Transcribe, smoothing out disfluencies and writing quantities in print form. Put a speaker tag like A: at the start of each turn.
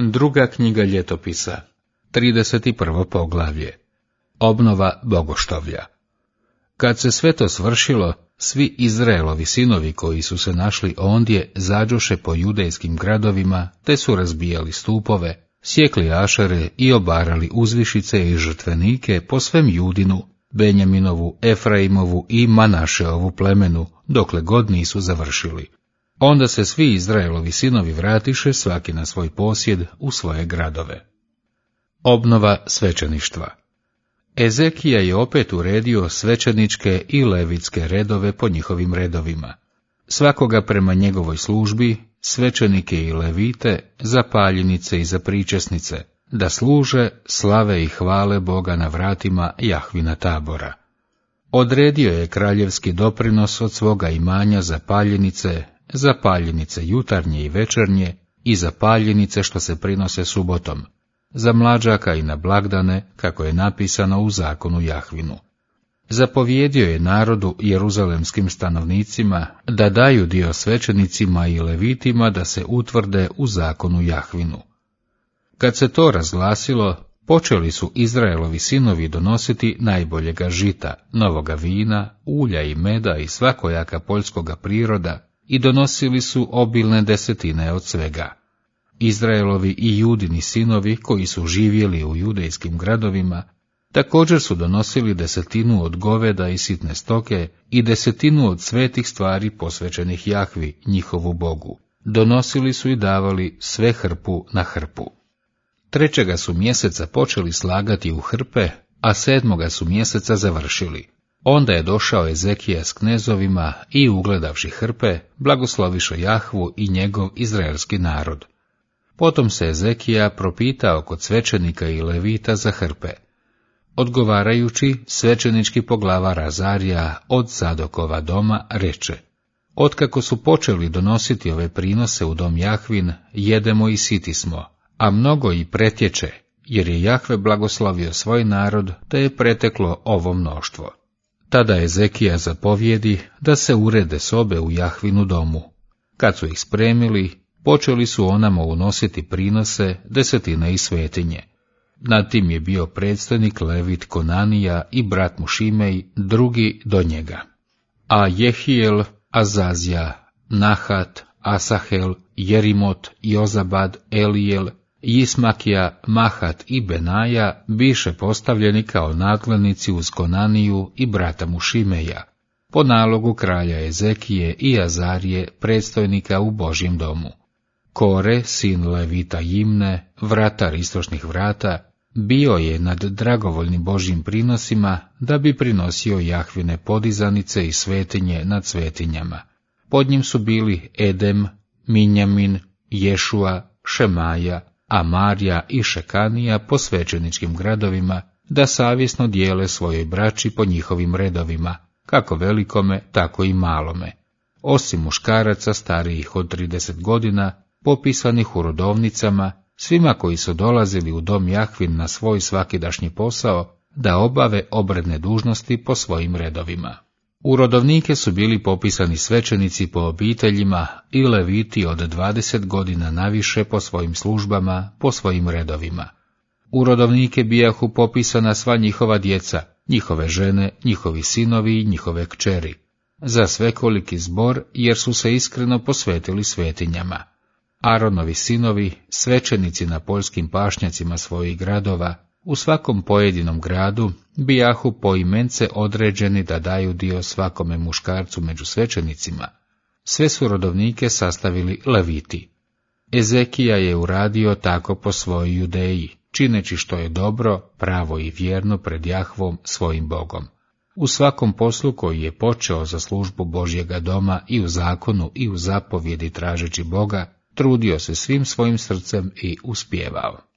A: Druga knjiga ljetopisa, 31. poglavlje. Obnova bogoštovlja. Kad se sve to svršilo, svi Izraelovi sinovi koji su se našli ondje zađoše po judejskim gradovima, te su razbijali stupove, sjekli ašere i obarali uzvišice i žrtvenike po svem Judinu, Benjaminovu, Efraimovu i Manašeovu plemenu, dokle god nisu završili. Onda se svi Izraelovi sinovi vratiše svaki na svoj posjed u svoje gradove. Obnova svećeništva. Ezekija je opet uredio svećeničke i levitske redove po njihovim redovima. Svakoga prema njegovoj službi, svećenike i levite, za paljenice i za pričesnice, da služe, slave i hvale Boga na vratima Jahvina tabora. Odredio je kraljevski doprinos od svoga imanja za paljenice jutarnje i večernje i za paljenice što se prinose subotom, za mlađaka i na blagdane, kako je napisano u zakonu Jahvinu. Zapovjedio je narodu jeruzalemskim stanovnicima da daju dio svećenicima i levitima da se utvrde u zakonu Jahvinu. Kad se to razglasilo, počeli su Izraelovi sinovi donositi najboljega žita, novoga vina, ulja i meda i svakojaka poljskoga priroda i donosili su obilne desetine od svega. Izraelovi i Judini sinovi koji su živjeli u judejskim gradovima također su donosili desetinu od goveda i sitne stoke i desetinu od svetih stvari posvećenih Jahvi, njihovu Bogu. Donosili su i davali sve hrpu na hrpu. 3. su mjeseca počeli slagati u hrpe, a 7. su mjeseca završili. Onda je došao Ezekija s knezovima i ugledavši hrpe, blagosloviše Jahvu i njegov izraelski narod. Potom se Ezekija propitao kod svećenika i levita za hrpe. Odgovarajući, svećenički poglavar Azarija od Zadokova doma reče: Otkako su počeli donositi ove prinose u dom Jahvin, jedemo i siti smo, a mnogo i pretječe, jer je Jahve blagoslovio svoj narod, te je preteklo ovo mnoštvo. Tada Ezekija zapovjedi da se urede sobe u Jahvinu domu. Kad su ih spremili, počeli su onamo unositi prinose, desetine i svetinje. Nad tim je bio predstojnik Levit Konanija i brat mu Šimej, drugi do njega. A Jehijel, Azazija, Nahat, Asahel, Jerimot, Jozabad, Elijel, Jismakija, Mahat i Benaja biše postavljeni kao nadglednici uz Konaniju i brata mu Šimeja, po nalogu kralja Ezekije i Azarije, predstojnika u Božjem domu. Kore, sin Levita Jimne, vratar istočnih vrata, bio je nad dragovoljnim Božjim prinosima da bi prinosio Jahvine podizanice i svetinje nad svetinjama. Pod njim su bili Edem, Minjamin, Ješua, Šemaja, Amarja i Šekanija po svećeničkim gradovima, da savjesno dijele svojoj braći po njihovim redovima, kako velikome, tako i malome. Osim muškaraca starijih od 30 godina, popisanih u rodovnicama, svima koji su dolazili u dom Jahvin na svoj svakidašnji posao, da obave obredne dužnosti po svojim redovima. U rodovnike su bili popisani svećenici po obiteljima i leviti od 20 godina naviše po svojim službama, po svojim redovima. U rodovnike bijahu popisana sva njihova djeca, njihove žene, njihovi sinovi i njihove kćeri, za svekoliki zbor, jer su se iskreno posvetili svetinjama. Aronovi sinovi, svećenici na poljskim pašnjacima svojih gradova, u svakom pojedinom gradu bijahu poimence određeni da daju dio svakome muškarcu među svećenicima. Sve su rodovnike sastavili leviti. Ezekija je uradio tako po svojoj Judeji, čineći što je dobro, pravo i vjerno pred Jahvom svojim Bogom. U svakom poslu koji je počeo za službu Božjega doma i u zakonu i u zapovjedi tražeći Boga, trudio se svim svojim srcem i uspijevao.